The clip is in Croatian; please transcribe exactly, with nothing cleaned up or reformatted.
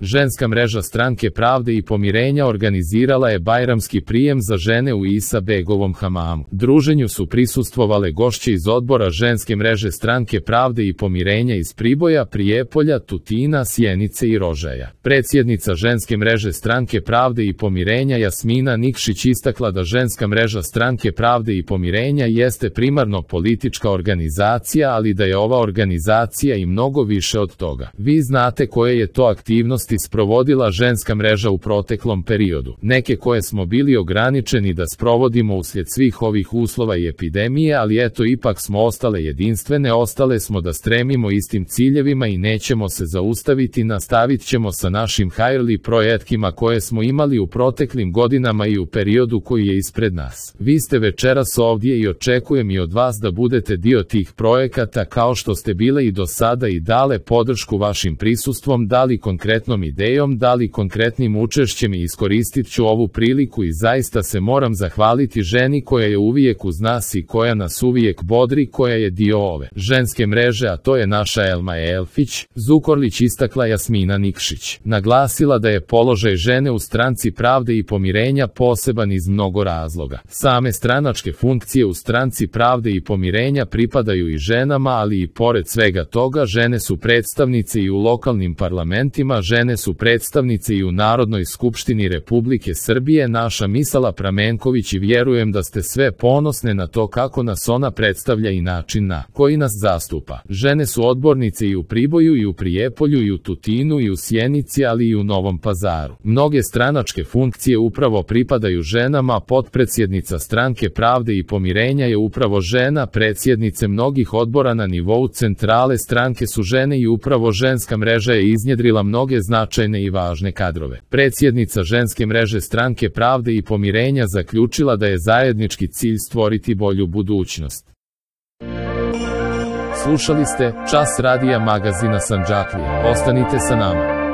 Ženska mreža Stranke pravde i pomirenja organizirala je bajramski prijem za žene u Isa Begovom hamamu. Druženju su prisustvovale gošće iz odbora ženske mreže Stranke pravde i pomirenja iz Priboja, Prijepolja, Tutina, Sjenice i Rožaja. Predsjednica ženske mreže Stranke pravde i pomirenja Jasmina Nikšić istakla da ženska mreža Stranke pravde i pomirenja jeste primarno politička organizacija, ali da je ova organizacija i mnogo više od toga. Vi znate koje je to aktivnosti sprovodila ženska mreža u proteklom periodu. Neke koje smo bili ograničeni da sprovodimo uslijed svih ovih uslova i epidemije, ali eto ipak smo ostale jedinstvene, ostale smo da stremimo istim ciljevima i nećemo se zaustaviti, nastavit ćemo sa našim hajrli projektima koje smo imali u proteklim godinama i u periodu koji je ispred nas. Vi ste večeras ovdje i očekujem i od vas da budete dio tih projekata kao što ste bile i do sada i dale podršku vašim prisustvom, dali konkretnom idejom, dali konkretnim učešćem i iskoristit ću ovu priliku i zaista se moram zahvaliti ženi koja je uvijek uz nas i koja nas uvijek bodri, koja je dio ove ženske mreže, a to je naša Elma Elfić, Zukorlić, istakla Jasmina Nikšić. Naglasila da je položaj žene u Stranci pravde i pomirenja poseban iz mnogo razloga. Same stranačke funkcije u Stranci pravde i pomirenja pripadaju i ženama, ali i pored svega toga žene su predstavnice i u lokalnim parlamentima, žene su predstavnice i u Narodnoj skupštini Republike Srbije. Naša Misala Pramenković, i vjerujem da ste sve ponosne na to kako nas ona predstavlja i način na koji nas zastupa. Žene su odbornice i u Priboju i u Prijepolju i u Tutinu i u Sjenici, ali i u Novom Pazaru. Mnoge stranačke funkcije upravo pripadaju ženama, potpredsjednica Stranke pravde i pomirenja je upravo žena, predsjednice mnogih odbora na nivou centrale stranke su žene i upravo ženska mreža je iznjedrila mnoge značajne i važne kadrove. Predsjednica ženske mreže Stranke pravde i pomirenja zaključila da je zajednički cilj stvoriti bolju budućnost. Slušali ste Čas radija magazina Sandžaklija. Ostanite sa nama.